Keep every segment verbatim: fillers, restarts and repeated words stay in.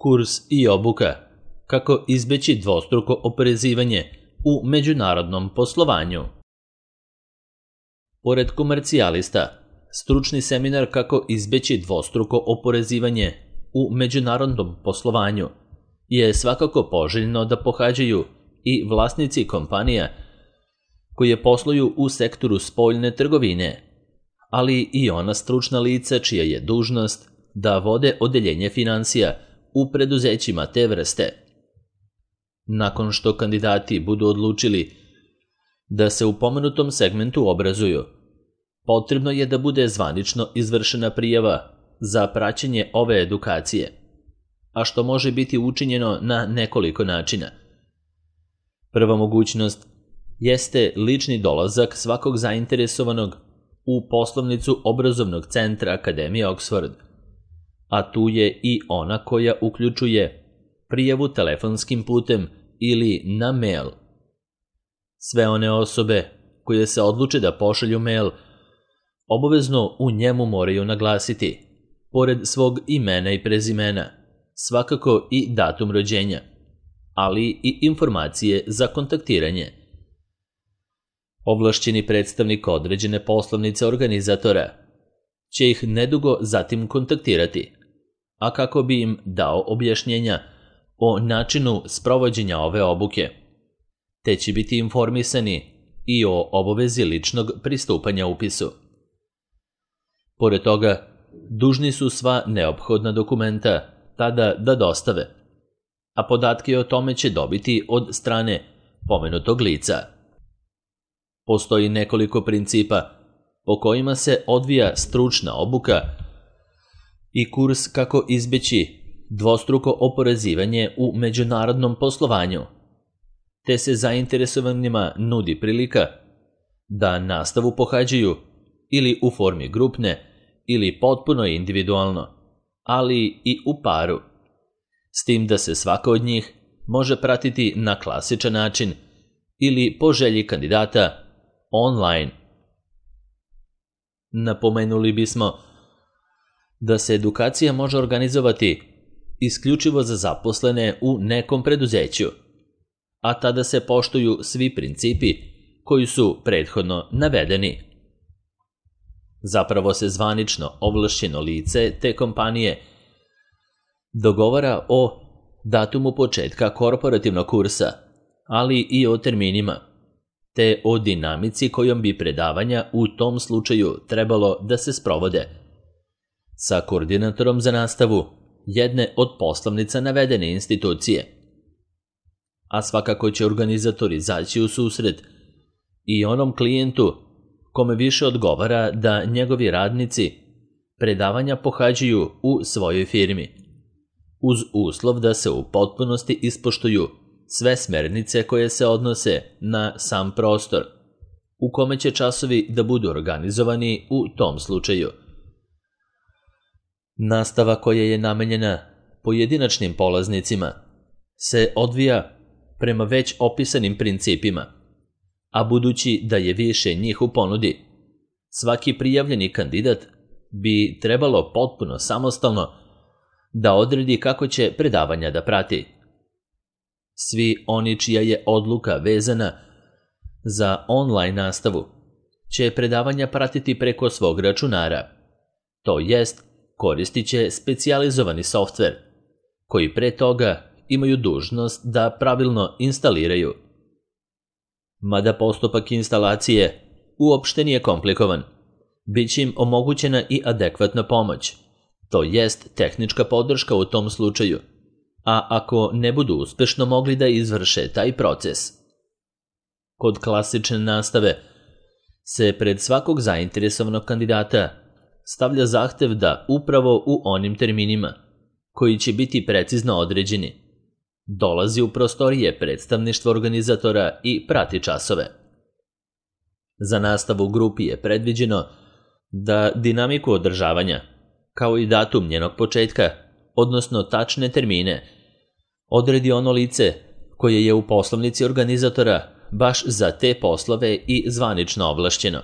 Kurs i obuka kako izbeći dvostruko oporezivanje u međunarodnom poslovanju. Pored komercijalista, stručni seminar kako izbeći dvostruko oporezivanje u međunarodnom poslovanju je svakako poželjno da pohađaju i vlasnici kompanija koje posluju u sektoru spoljne trgovine, ali i ona stručna lica čija je dužnost da vode odeljenje finansija u preduzećima te vrste. Nakon što kandidati budu odlučili da se u pomenutom segmentu obrazuju, potrebno je da bude zvanično izvršena prijava za praćenje ove edukacije, a što može biti učinjeno na nekoliko načina. Prva mogućnost jeste lični dolazak svakog zainteresovanog u poslovnicu obrazovnog centra Akademije Oxford, a tu je i ona koja uključuje prijavu telefonskim putem ili na mail. Sve one osobe koje se odluče da pošalju mail obavezno u njemu moraju naglasiti, pored svog imena i prezimena, svakako i datum rođenja, ali i informacije za kontaktiranje. Ovlašćeni predstavnik određene poslovnice organizatora će ih nedugo zatim kontaktirati, a kako bi im dao objašnjenja o načinu sprovođenja ove obuke, te će biti informisani i o obavezi ličnog pristupanja upisu. Pored toga, dužni su sva neophodna dokumenta tada da dostave, a podatke o tome će dobiti od strane pomenutog lica. Postoji nekoliko principa po kojima se odvija stručna obuka i kurs kako izbeći dvostruko oporezivanje u međunarodnom poslovanju, te se zainteresovanima nudi prilika da nastavu pohađaju ili u formi grupne ili potpuno individualno, ali i u paru, s tim da se svaka od njih može pratiti na klasičan način ili po želji kandidata online. Napomenuli bismo da se edukacija može organizovati isključivo za zaposlene u nekom preduzeću, a tada se poštuju svi principi koji su prethodno navedeni. Zapravo se zvanično ovlašćeno lice te kompanije dogovara o datumu početka korporativnog kursa, ali i o terminima, te o dinamici kojom bi predavanja u tom slučaju trebalo da se sprovode, sa koordinatorom za nastavu jedne od poslovnica navedene institucije. A svakako će organizatori izaći u susret i onom klijentu kome više odgovara da njegovi radnici predavanja pohađaju u svojoj firmi, uz uslov da se u potpunosti ispoštuju sve smernice koje se odnose na sam prostor, u kome će časovi da budu organizovani u tom slučaju. Nastava koja je namenjena pojedinačnim polaznicima se odvija prema već opisanim principima, a budući da je više njih u ponudi, svaki prijavljeni kandidat bi trebalo potpuno samostalno da odredi kako će predavanja da prati. Svi oni čija je odluka vezana za online nastavu će predavanja pratiti preko svog računara, to jest koristit će specijalizovani softver, koji pre toga imaju dužnost da pravilno instaliraju. Mada postupak instalacije uopšte nije komplikovan, bit će im omogućena i adekvatna pomoć, to jest tehnička podrška u tom slučaju, a ako ne budu uspešno mogli da izvrše taj proces. Kod klasične nastave se pred svakog zainteresovanog kandidata stavlja zahtev da upravo u onim terminima, koji će biti precizno određeni, dolazi u prostorije predstavništva organizatora i prati časove. Za nastavu u grupi je predviđeno da dinamiku održavanja, kao i datum njenog početka, odnosno tačne termine, odredi ono lice koje je u poslovnici organizatora baš za te poslove i zvanično ovlašćeno.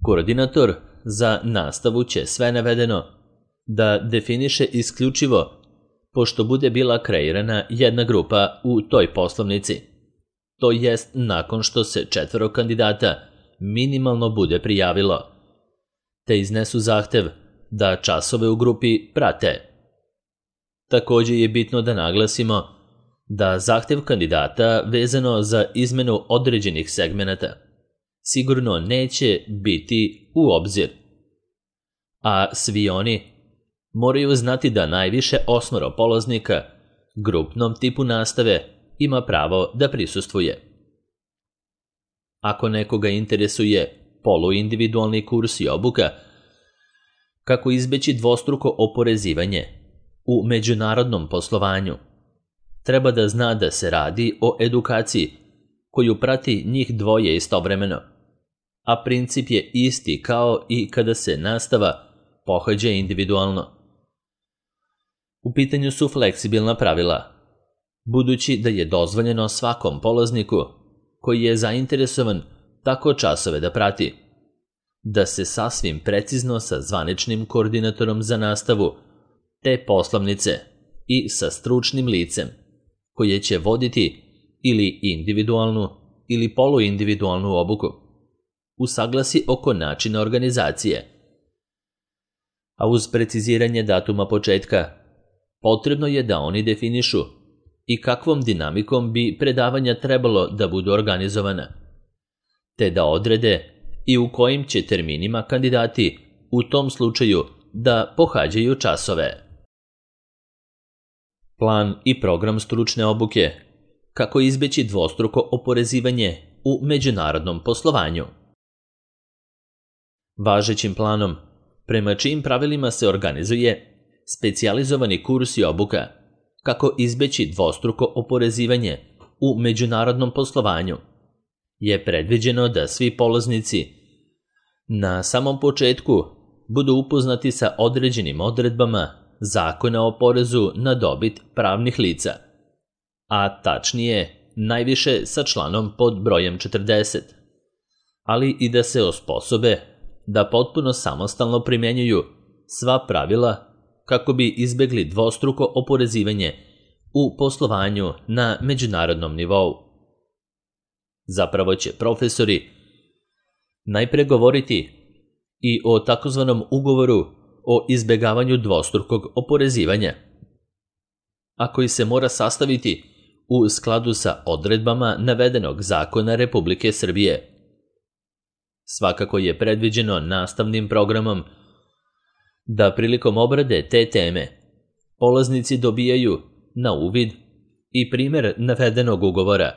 Koordinator za nastavu će sve navedeno da definiše isključivo pošto bude bila kreirana jedna grupa u toj poslovnici, to jest nakon što se četvoro kandidata minimalno bude prijavilo, te iznesu zahtev da časove u grupi prate. Također je bitno da naglasimo da zahtev kandidata vezano za izmenu određenih segmenata sigurno neće biti u obzir, a svi oni moraju znati da najviše osmoro polaznika grupnom tipu nastave ima pravo da prisustvuje. Ako nekoga interesuje poluindividualni kurs i obuka, kako izbeći dvostruko oporezivanje u međunarodnom poslovanju, treba da zna da se radi o edukaciji koju prati njih dvoje istovremeno, a princip je isti kao i kada se nastava pohađa individualno. U pitanju su fleksibilna pravila, budući da je dozvoljeno svakom polazniku koji je zainteresovan tako časove da prati, da se sasvim precizno sa zvaničnim koordinatorom za nastavu te poslovnice i sa stručnim licem koje će voditi ili individualnu ili poluindividualnu obuku usaglasi oko načina organizacije. A uz preciziranje datuma početka, potrebno je da oni definišu i kakvom dinamikom bi predavanja trebalo da budu organizovana, te da odrede i u kojim će terminima kandidati u tom slučaju da pohađaju časove. Plan i program stručne obuke, kako izbeći dvostruko oporezivanje u međunarodnom poslovanju. Važećim planom, prema čijim pravilima se organizuje specijalizovani kurs i obuka, kako izbeći dvostruko oporezivanje u međunarodnom poslovanju, je predviđeno da svi polaznici na samom početku budu upoznati sa određenim odredbama Zakona o porezu na dobit pravnih lica, a tačnije najviše sa članom pod brojem četrdeset, ali i da se osposobe da potpuno samostalno primjenjuju sva pravila kako bi izbegli dvostruko oporezivanje u poslovanju na međunarodnom nivou. Zapravo će profesori najpre govoriti i o takozvanom ugovoru o izbegavanju dvostrukog oporezivanja, a koji se mora sastaviti u skladu sa odredbama navedenog zakona Republike Srbije. Svakako je predviđeno nastavnim programom da prilikom obrade te teme polaznici dobijaju na uvid i primjer navedenog ugovora,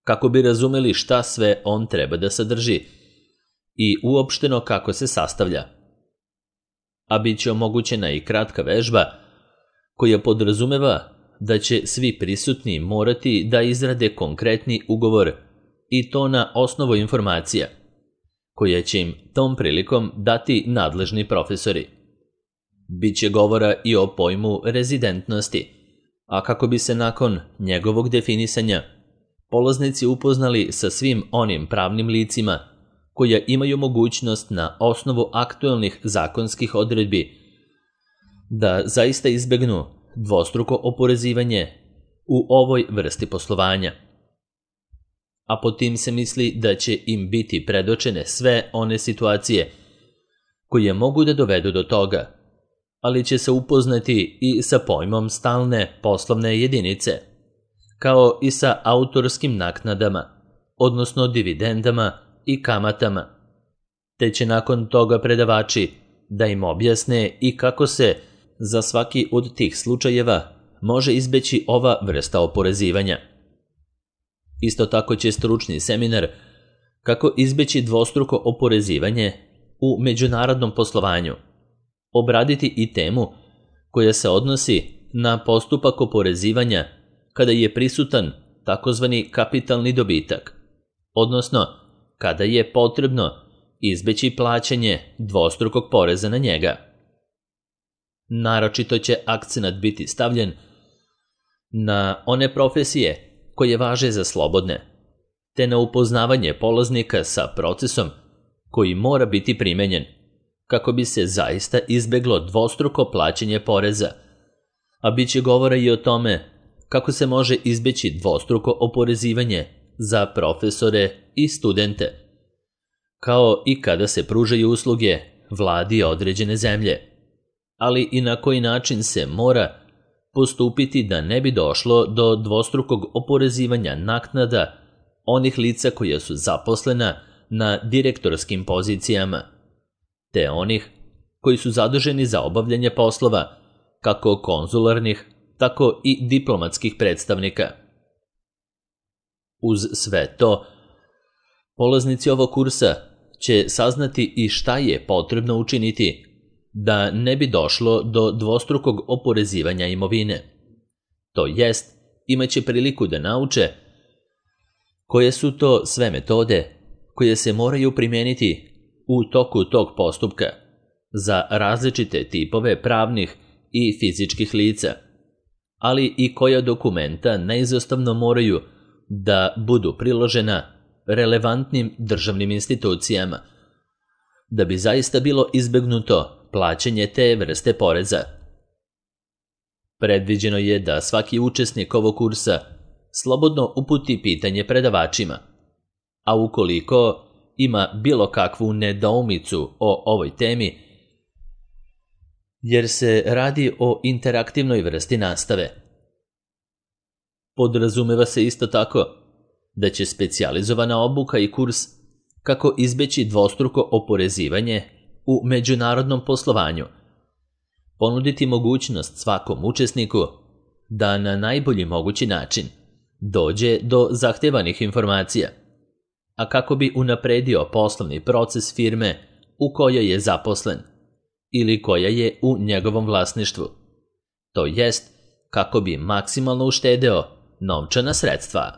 kako bi razumeli šta sve on treba da sadrži i uopšteno kako se sastavlja. A bit će omogućena i kratka vežba koja podrazumeva da će svi prisutni morati da izrade konkretni ugovor i to na osnovu informacija koje će im tom prilikom dati nadležni profesori. Biće govora i o pojmu rezidentnosti, a kako bi se nakon njegovog definisanja polaznici upoznali sa svim onim pravnim licima koja imaju mogućnost na osnovu aktuelnih zakonskih odredbi da zaista izbegnu dvostruko oporezivanje u ovoj vrsti poslovanja. A po tim se misli da će im biti predočene sve one situacije koje mogu da dovedu do toga, ali će se upoznati i sa pojmom stalne poslovne jedinice, kao i sa autorskim naknadama, odnosno dividendama i kamatama, te će nakon toga predavači da im objasne i kako se za svaki od tih slučajeva može izbeći ova vrsta oporezivanja. Isto tako će stručni seminar kako izbeći dvostruko oporezivanje u međunarodnom poslovanju obraditi i temu koja se odnosi na postupak oporezivanja kada je prisutan takozvani kapitalni dobitak, odnosno kada je potrebno izbeći plaćanje dvostrukog poreza na njega. Naročito će akcenat biti stavljen na one profesije koje važe za slobodne, te na upoznavanje polaznika sa procesom koji mora biti primenjen kako bi se zaista izbeglo dvostruko plaćanje poreza, a bit će govora i o tome kako se može izbeći dvostruko oporezivanje za profesore i studente, kao i kada se pružaju usluge vladi određene zemlje, ali i na koji način se mora postupiti da ne bi došlo do dvostrukog oporezivanja naknada onih lica koja su zaposlena na direktorskim pozicijama, te onih koji su zaduženi za obavljanje poslova, kako konzularnih, tako i diplomatskih predstavnika. Uz sve to, polaznici ovog kursa će saznati i šta je potrebno učiniti da ne bi došlo do dvostrukog oporezivanja imovine. To jest, imaće priliku da nauče koje su to sve metode koje se moraju primijeniti u toku tog postupka za različite tipove pravnih i fizičkih lica, ali i koja dokumenta neizostavno moraju da budu priložena relevantnim državnim institucijama, da bi zaista bilo izbegnuto plaćanje te vrste poreza. Predviđeno je da svaki učesnik ovog kursa slobodno uputi pitanje predavačima, a ukoliko ima bilo kakvu nedoumicu o ovoj temi, jer se radi o interaktivnoj vrsti nastave. Podrazumeva se isto tako da će specijalizovana obuka i kurs kako izbeći dvostruko oporezivanje u međunarodnom poslovanju ponuditi mogućnost svakom učesniku da na najbolji mogući način dođe do zahtevanih informacija, a kako bi unapredio poslovni proces firme u kojoj je zaposlen ili koja je u njegovom vlasništvu, to jest kako bi maksimalno uštedeo novčana sredstva.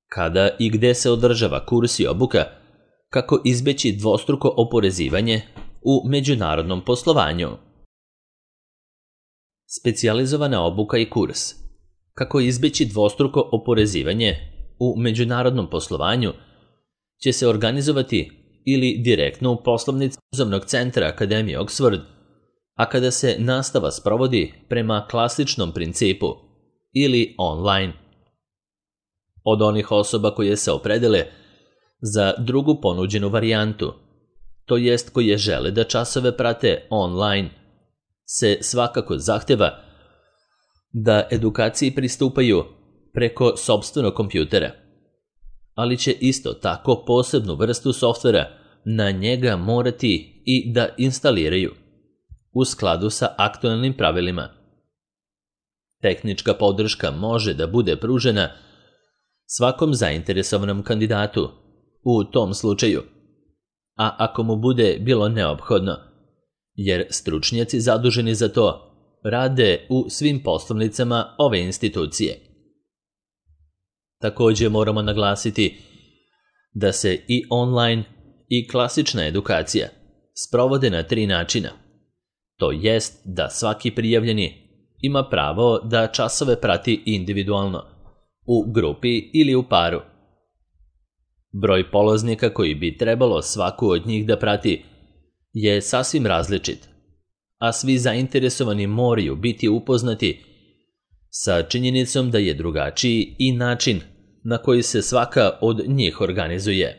Kada i gde se održava kurs i obuka kako izbeći dvostruko oporezivanje u međunarodnom poslovanju? Specijalizovana obuka i kurs kako izbeći dvostruko oporezivanje u međunarodnom poslovanju će se organizovati ili direktno u poslovnici Uzemnog centra Akademije Oxford, a kada se nastava sprovodi prema klasičnom principu ili online. Od onih osoba koje se opredele za drugu ponuđenu varijantu, to jest koje žele da časove prate online, se svakako zahteva da edukaciji pristupaju preko sopstvenog kompjutera, ali će isto tako posebnu vrstu softvera na njega morati i da instaliraju u skladu sa aktualnim pravilima. Tehnička podrška može da bude pružena svakom zainteresovanom kandidatu u tom slučaju, a ako mu bude bilo neophodno, jer stručnjaci zaduženi za to rade u svim poslovnicama ove institucije. Također moramo naglasiti da se i online i klasična edukacija sprovode na tri načina. To jest da svaki prijavljeni ima pravo da časove prati individualno, u grupi ili u paru. Broj polaznika koji bi trebalo svaku od njih da prati je sasvim različit, a svi zainteresovani moraju biti upoznati sa činjenicom da je drugačiji i način na koji se svaka od njih organizuje.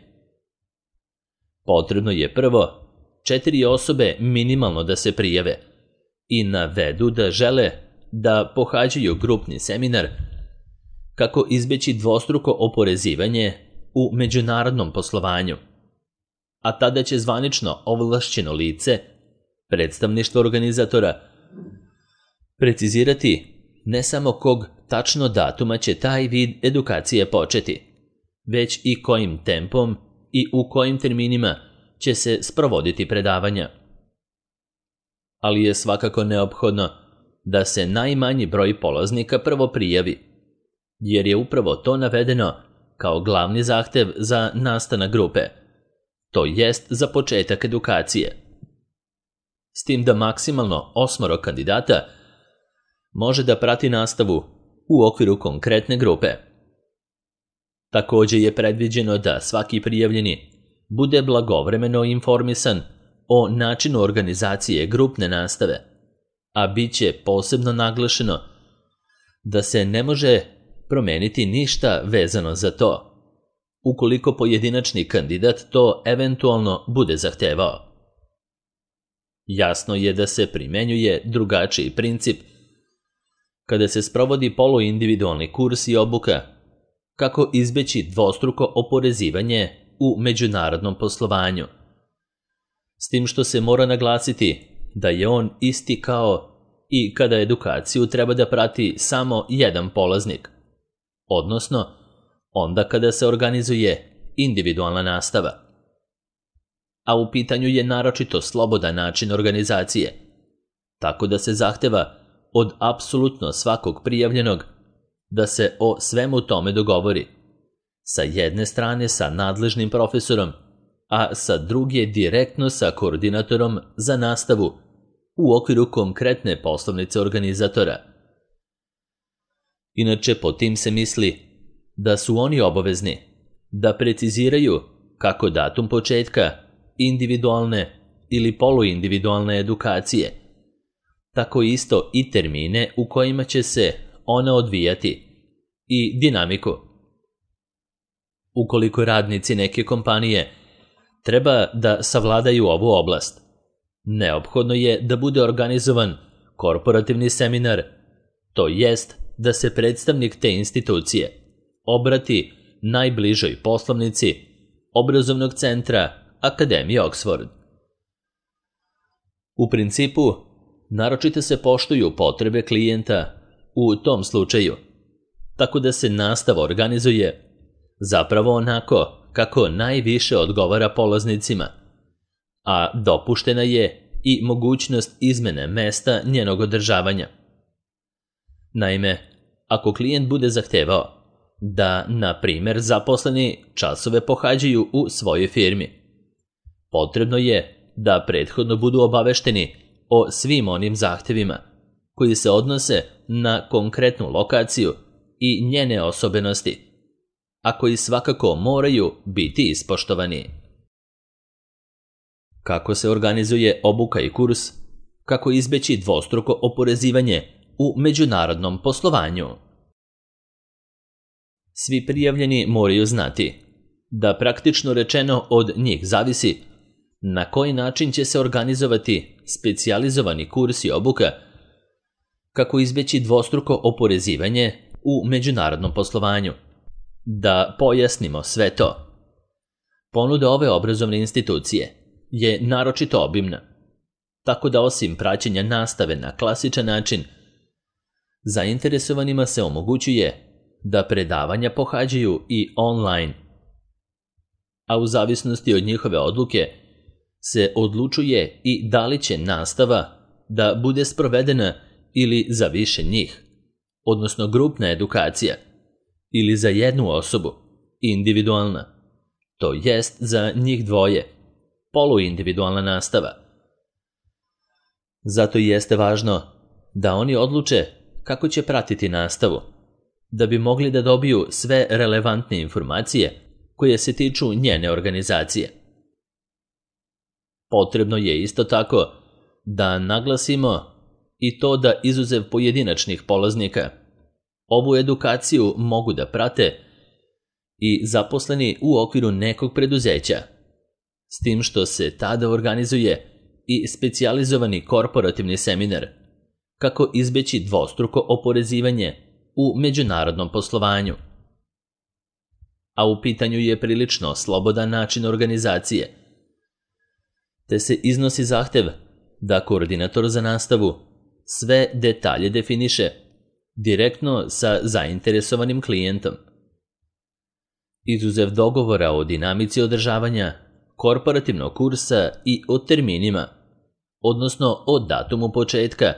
Potrebno je prvo četiri osobe minimalno da se prijave i navedu da žele da pohađaju grupni seminar kako izbeći dvostruko oporezivanje u međunarodnom poslovanju, a tada će zvanično ovlašćeno lice, predstavništvo organizatora, precizirati ne samo kog tačno datuma će taj vid edukacije početi, već i kojim tempom i u kojim terminima će se sprovoditi predavanja. Ali je svakako neophodno da se najmanji broj polaznika prvo prijavi, jer je upravo to navedeno kao glavni zahtev za nastanak grupe, to jest za početak edukacije. S tim da maksimalno osmoro kandidata može da prati nastavu u okviru konkretne grupe. Također je predviđeno da svaki prijavljeni bude blagovremeno informisan o načinu organizacije grupne nastave, a bit će posebno naglašeno da se ne može promeniti ništa vezano za to, ukoliko pojedinačni kandidat to eventualno bude zahtevao. Jasno je da se primenjuje drugačiji princip kada se sprovodi poluindividualni kurs i obuka, kako izbeći dvostruko oporezivanje u međunarodnom poslovanju. S tim što se mora naglasiti da je on isti kao i kada edukaciju treba da prati samo jedan polaznik, odnosno onda kada se organizuje individualna nastava. A u pitanju je naročito slobodan način organizacije, tako da se zahteva od apsolutno svakog prijavljenog da se o svemu tome dogovori, sa jedne strane sa nadležnim profesorom, a sa druge direktno sa koordinatorom za nastavu u okviru konkretne poslovnice organizatora. Inače, po tim se misli da su oni obavezni da preciziraju kako datum početka individualne ili poluindividualne edukacije, tako isto i termine u kojima će se ona odvijati i dinamiku. Ukoliko radnici neke kompanije treba da savladaju ovu oblast, neophodno je da bude organizovan korporativni seminar, to jest da se predstavnik te institucije obrati najbližoj poslovnici obrazovnog centra Akademije Oxford. U principu, naročito se poštuju potrebe klijenta u tom slučaju, tako da se nastava organizuje zapravo onako kako najviše odgovara polaznicima, a dopuštena je i mogućnost izmene mesta njenog održavanja. Naime, ako klijent bude zahtevao da, na primjer, zaposleni časove pohađaju u svojoj firmi, potrebno je da prethodno budu obavešteni o svim onim zahtevima koji se odnose na konkretnu lokaciju i njene osobenosti, a koji svakako moraju biti ispoštovani. Kako se organizuje obuka i kurs, kako izbeći dvostruko oporezivanje u međunarodnom poslovanju. Svi prijavljeni moraju znati da praktično rečeno od njih zavisi na koji način će se organizovati specijalizovani kurs i obuka, kako izbeći dvostruko oporezivanje u međunarodnom poslovanju. Da pojasnimo sve to. Ponuda ove obrazovne institucije je naročito obimna, tako da osim praćenja nastave na klasičan način, zainteresovanima se omogućuje da predavanja pohađaju i online, a u zavisnosti od njihove odluke se odlučuje i da li će nastava da bude sprovedena ili za više njih, odnosno grupna edukacija, ili za jednu osobu, individualna, to jest za njih dvoje, poluindividualna nastava. Zato jeste važno da oni odluče kako će pratiti nastavu, da bi mogli da dobiju sve relevantne informacije koje se tiču njene organizacije. Potrebno je isto tako da naglasimo i to da izuzev pojedinačnih polaznika, ovu edukaciju mogu da prate i zaposleni u okviru nekog preduzeća, s tim što se tada organizuje i specijalizovani korporativni seminar, kako izbeći dvostruko oporezivanje u međunarodnom poslovanju. A u pitanju je prilično slobodan način organizacije, te se iznosi zahtev da koordinator za nastavu sve detalje definiše direktno sa zainteresovanim klijentom. Izuzev dogovora o dinamici održavanja korporativnog kursa i o terminima, odnosno o datumu početka,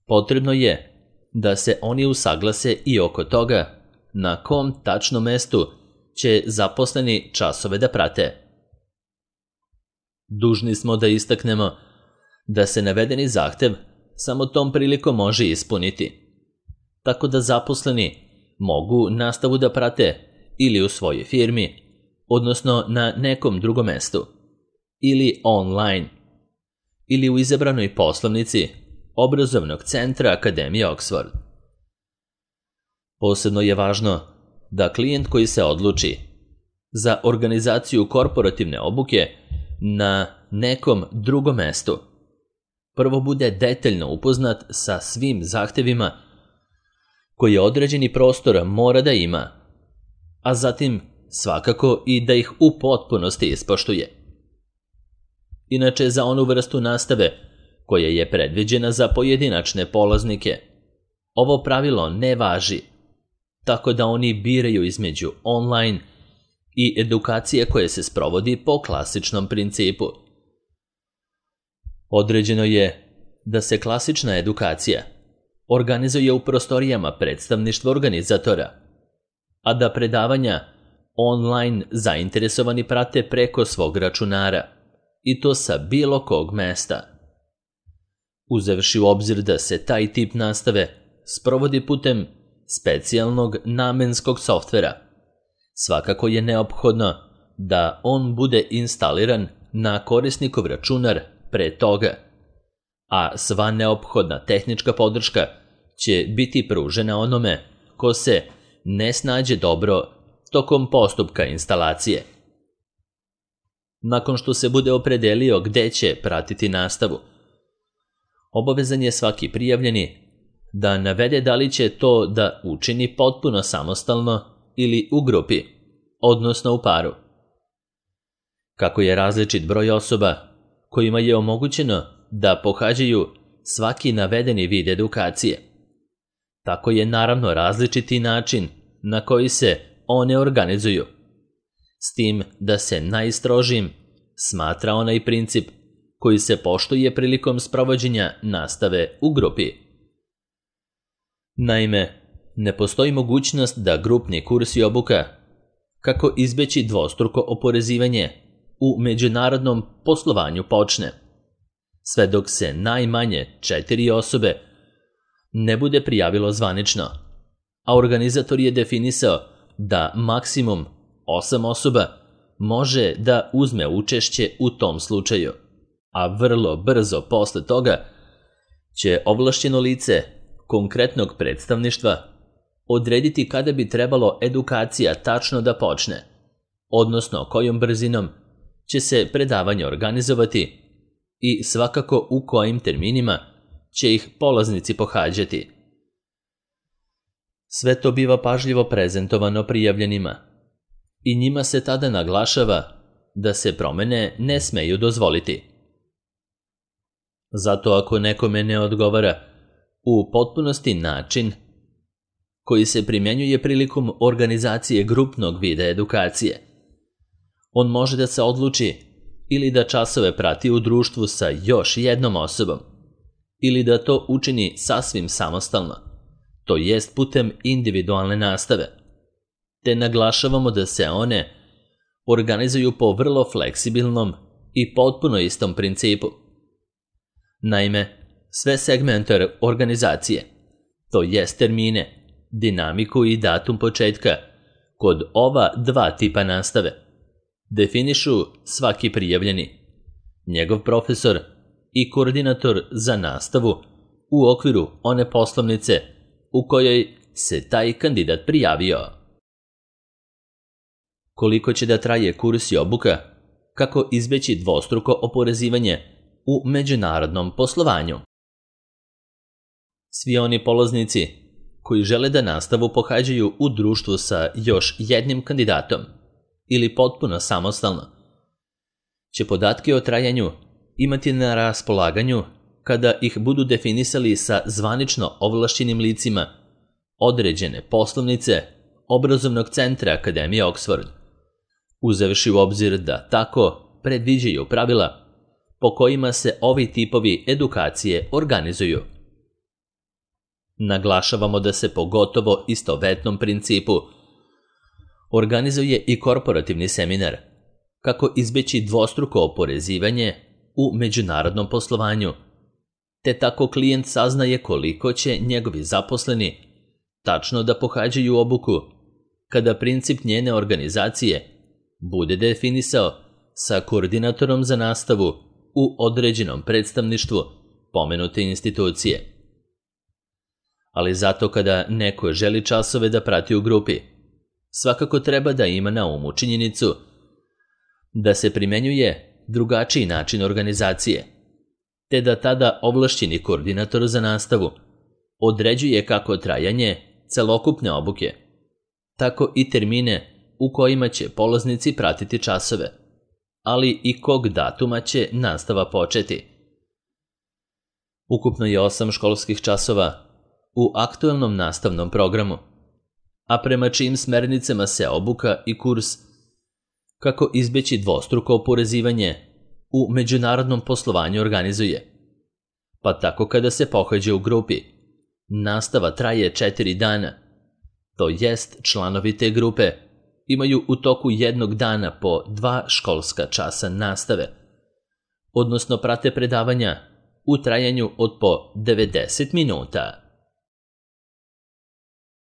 potrebno je da se oni usaglase i oko toga na kom tačno mestu će zaposleni časove da prate. Dužni smo da istaknemo da se navedeni zahtev samo tom prilikom može ispuniti, tako da zaposleni mogu nastavu da prate ili u svojoj firmi, odnosno na nekom drugom mestu, ili online, ili u izabranoj poslovnici obrazovnog centra Akademije Oxford. Posebno je važno da klijent koji se odluči za organizaciju korporativne obuke na nekom drugom mestu prvo bude detaljno upoznat sa svim zahtevima koje određeni prostor mora da ima, a zatim svakako i da ih u potpunosti ispoštuje. Inače, za onu vrstu nastave koja je predviđena za pojedinačne polaznike, ovo pravilo ne važi, tako da oni biraju između online i edukacije koje se sprovodi po klasičnom principu. Određeno je da se klasična edukacija organizuje u prostorijama predstavništva organizatora, a da predavanja online zainteresovani prate preko svog računara, i to sa bilo kog mesta. Uzevši u obzir da se taj tip nastave sprovodi putem specijalnog namenskog softvera, svakako je neophodno da on bude instaliran na korisnikov računar pre toga, a sva neophodna tehnička podrška će biti pružena onome ko se ne snađe dobro tokom postupka instalacije. Nakon što se bude opredelio gde će pratiti nastavu, obavezan je svaki prijavljeni da navede da li će to da učini potpuno samostalno ili u grupi, odnosno u paru. Kako je različit broj osoba kojima je omogućeno da pohađaju svaki navedeni vid edukacije, tako je naravno različiti način na koji se one organizuju, s tim da se najstrožim smatra onaj princip koji se poštuje prilikom sprovođenja nastave u grupi. Naime, ne postoji mogućnost da grupni kurs i obuka, kako izbeći dvostruko oporezivanje, u međunarodnom poslovanju počne, sve dok se najmanje četiri osobe ne bude prijavilo zvanično, a organizator je definisao da maksimum osam osoba može da uzme učešće u tom slučaju, a vrlo brzo posle toga će ovlašćeno lice konkretnog predstavništva odrediti kada bi trebalo edukacija tačno da počne, odnosno kojom brzinom će se predavanje organizovati i svakako u kojim terminima će ih polaznici pohađati. Sve to biva pažljivo prezentovano prijavljenima i njima se tada naglašava da se promene ne smeju dozvoliti. Zato ako nekome ne odgovara u potpunosti način koji se primjenjuje prilikom organizacije grupnog vida edukacije, on može da se odluči ili da časove prati u društvu sa još jednom osobom, ili da to učini sasvim samostalno, to jest putem individualne nastave, te naglašavamo da se one organizuju po vrlo fleksibilnom i potpuno istom principu. Naime, sve segmente organizacije, to jest termine, dinamiku i datum početka, kod ova dva tipa nastave, definišu svaki prijavljeni, njegov profesor i koordinator za nastavu u okviru one poslovnice u kojoj se taj kandidat prijavio. Koliko će da traje kurs i obuka, kako izbeći dvostruko oporezivanje u međunarodnom poslovanju. Svi oni polaznici koji žele da nastavu pohađaju u društvu sa još jednim kandidatom ili potpuno samostalno, će podatke o trajanju imati na raspolaganju kada ih budu definisali sa zvanično ovlašćenim licima određene poslovnice obrazovnog centra Akademije Oxford, uzevši u obzir da tako predviđaju pravila po kojima se ovi tipovi edukacije organizuju. Naglašavamo da se po gotovo istovetnom principu organizuje i korporativni seminar, kako izbeći dvostruko oporezivanje u međunarodnom poslovanju, te tako klijent saznaje koliko će njegovi zaposleni tačno da pohađaju obuku, kada princip njene organizacije bude definisao sa koordinatorom za nastavu u određenom predstavništvu pomenute institucije. Ali zato kada neko želi časove da prati u grupi, svakako treba da ima na umu činjenicu da se primenjuje drugačiji način organizacije, te da tada ovlašćeni koordinator za nastavu određuje kako trajanje celokupne obuke, tako i termine u kojima će polaznici pratiti časove, ali i kog datuma će nastava početi. Ukupno je osam školskih časova u aktuelnom nastavnom programu, a prema čijim smernicama se obuka i kurs kako izbeći dvostruko oporezivanje u međunarodnom poslovanju organizuje. Pa tako kada se pohađa u grupi, nastava traje četiri dana, to jest članovi te grupe imaju u toku jednog dana po dva školska časa nastave, odnosno prate predavanja u trajanju od po devedeset minuta.